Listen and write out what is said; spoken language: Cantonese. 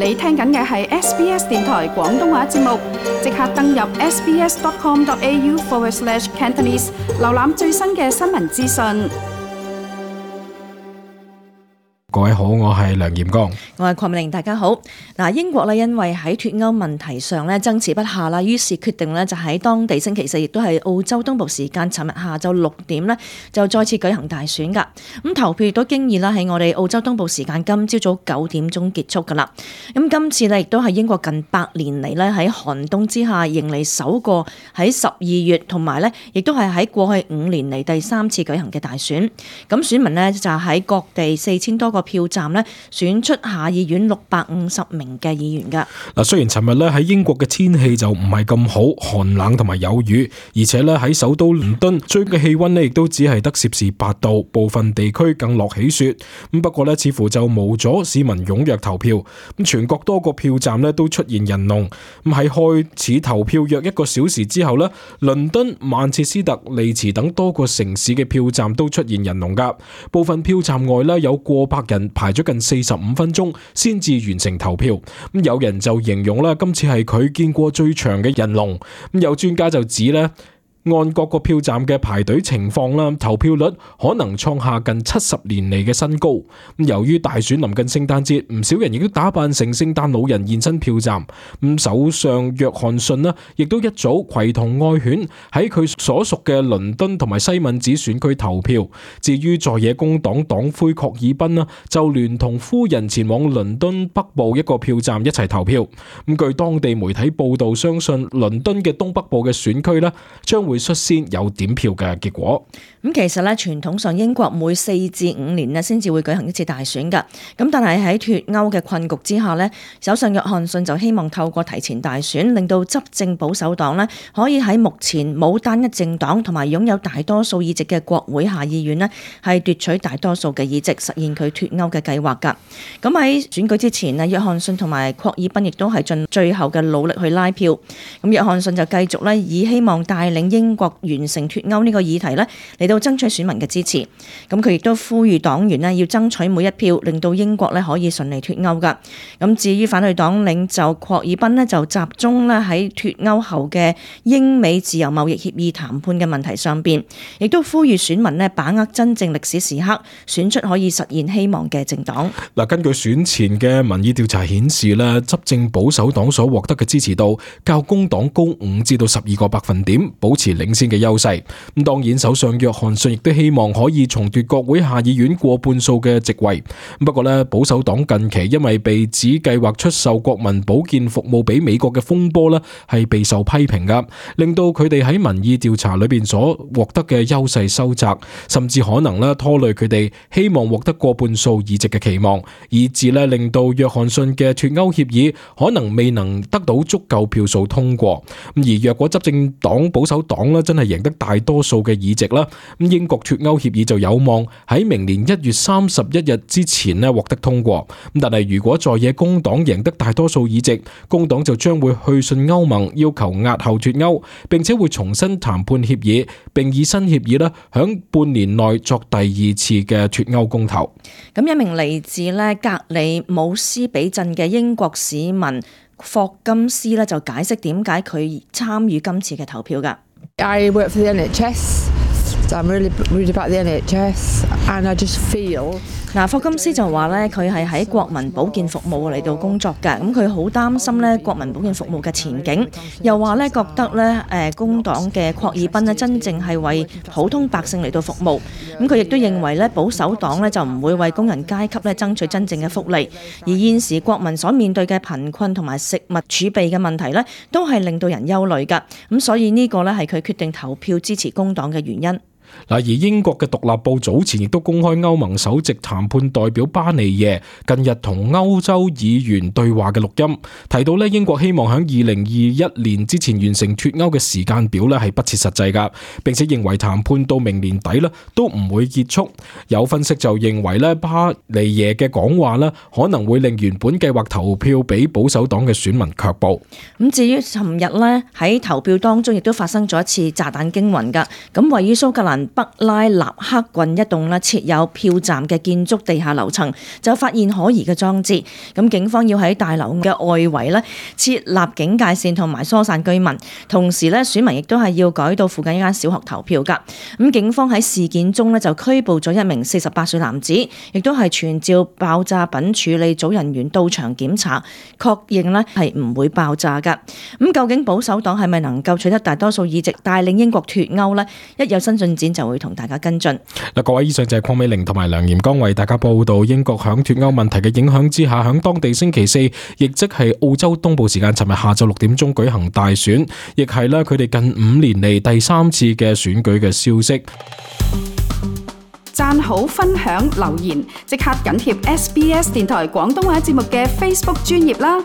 你聽緊嘅係 SBS 電台廣東話節目，即刻登入 sbs.com.au/Cantonese 瀏覽最新嘅新聞資訊。各位好，我係梁炎光，我係鄺美玲，大家好。英國咧因為喺脫歐問題上咧爭持不下啦，於是決定咧就喺當地星期四，亦都係澳洲東部時間尋日下晝6點咧就再次舉行大選噶。咁投票亦都經已啦喺我哋澳洲東部時間今朝早9點鐘結束噶啦。咁今次咧亦都係英國近100年嚟咧喺寒冬之下迎嚟首個喺12月，同埋咧亦都係喺過去5年嚟第3次舉行嘅大選。咁選民呢，就喺各地4000多個票站咧選出下議院650名嘅議員噶。嗱，雖然尋日咧喺英國嘅天氣就唔係咁好，寒冷同埋有雨，而且咧喺首都倫敦最嘅氣溫咧亦都只係得攝氏8度，部分地區更落起雪。咁不過咧似乎就冇阻市民踴躍投票。咁全國多個票站咧都出現人龍。咁喺開始投票約1個小時之後咧，倫敦、曼徹斯特、利茲等多個城市嘅票站都出現人龍噶。部分票站外咧有過百人排咗近45分鐘先至完成投票。咁有人就形容啦，今次係佢見過最長嘅人龍。咁有專家就指咧，按各個票站嘅排隊情況啦，投票率可能創下近70年嚟嘅新高。由於大選臨近聖誕節，唔少人亦都打扮成聖誕老人現身票站。首相約翰遜呢，亦都一早攜同愛犬喺佢所屬嘅倫敦同埋西敏寺選區投票。至於在野工黨黨魁郝爾賓呢，就聯同夫人前往倫敦北部一個票站一齊投票。據當地媒體報道，相信倫敦嘅東北部嘅選區呢，將會率先有點票嘅結果。咁其實咧，傳統上英國每4至5年咧先至會舉行一次大選噶。咁但係喺脫歐嘅困局之下咧，首相約翰遜就希望透過提前大選，令到執政保守黨咧可以喺目前冇單一政黨同埋擁有大多數議席嘅國會下議院咧，係奪取大多數嘅議席，實現佢脫歐嘅計劃噶。咁喺選舉之前咧，約翰遜同埋郝爾賓亦都係盡最後嘅努力去拉票。咁約翰遜就繼續咧以希望帶領英國完成脫歐呢個議題咧嚟到爭取選民嘅支持。咁佢亦都呼籲黨員咧要爭取每一票，令到英國咧可以順利脫歐噶。咁至於反對黨領袖郝爾賓咧就集中咧喺脫歐後嘅英美自由貿易協議談判嘅問題上邊，亦都呼籲選民咧把握真正歷史時刻，選出可以實現希望嘅政黨。嗱，根據選前嘅民意調查顯示咧，執政保守黨所獲得嘅支持度較工黨高5至到12個百分點，保持領先嘅優勢。咁當然，首相約翰遜亦都希望可以重奪國會下議院過半數嘅席位。不過咧，保守黨近期因為被指計劃出售國民保健服務俾美國嘅風波咧，係備受批評噶，令到佢哋喺民意調查裏邊所獲得嘅優勢收窄，甚至可能咧拖累佢哋希望獲得過半數議席嘅期望，以致咧令到約翰遜嘅脫歐協議可能未能得到足夠票數通過。而若果執政黨保守黨咧真係贏得大多數嘅議席啦，咁英國脫歐協議就有望喺明年1月31日之前咧獲得通過。咁但係如果在野工黨贏得大多數議席，工黨就將會去信歐盟要求押後脫歐，並且會重新談判協議，並以新協議咧響半年內作第2次嘅脫歐公投。咁一名嚟自咧格里姆斯比鎮嘅英國市民霍金斯咧就解釋點解佢參與今次嘅投票㗎。I work for the NHS, so I'm really worried about the NHS, and I just feel 霍金斯就話咧，佢係喺國民保健服務嚟到工作㗎，咁佢好擔心咧國民保健服務嘅前景，又話咧覺得咧工黨嘅郝爾賓咧真正係為普通百姓嚟到服務，咁佢亦都認為咧保守黨咧就唔會為工人階級咧爭取真正嘅福利，而現時國民所面對嘅貧困同埋食物儲備嘅問題咧，都係令到人憂慮㗎，咁所以呢個咧係佢決定投票支持工黨嘅原因。而英國嘅獨立報早前亦都公開歐盟首席談判代表巴尼耶近日同歐洲議員對話嘅錄音，提到英國希望喺2021年之前完成脫歐嘅時間表係不切實際㗎，並且認為談判到明年底都唔會結束。有分析就認為巴尼耶嘅講話可能會令原本計劃投票俾保守黨嘅選民卻步。咁至於尋日喺投票當中亦都發生咗一次炸彈驚魂㗎，咁位於蘇格蘭文北拉納克郡一棟設有票站嘅建築地下樓層，就發現可疑嘅裝置。咁警方要喺大樓嘅外圍設立警戒線同埋疏散居民，同時選民亦都係要改到附近一間小學投票㗎。咁警方喺事件中就拘捕咗一名48歲男子，亦都係傳召爆炸品處理組人員到場檢查，確認係唔會爆炸㗎。咁究竟保守黨係咪能夠取得大多數議席，帶領英國脫歐呢？一有新進展就會同大家跟進。嗱，各位，以上就係鄺美玲同埋梁炎剛為大家報道英國響脫歐問題嘅影響之下，響當地星期四，亦即係澳洲東部時間尋日下晝6點鐘舉行大選，亦係佢哋近5年嚟第3次嘅選舉嘅消息。讚好、分享、留言，即刻緊貼SBS 電台廣東話節目嘅 Facebook 專頁啦！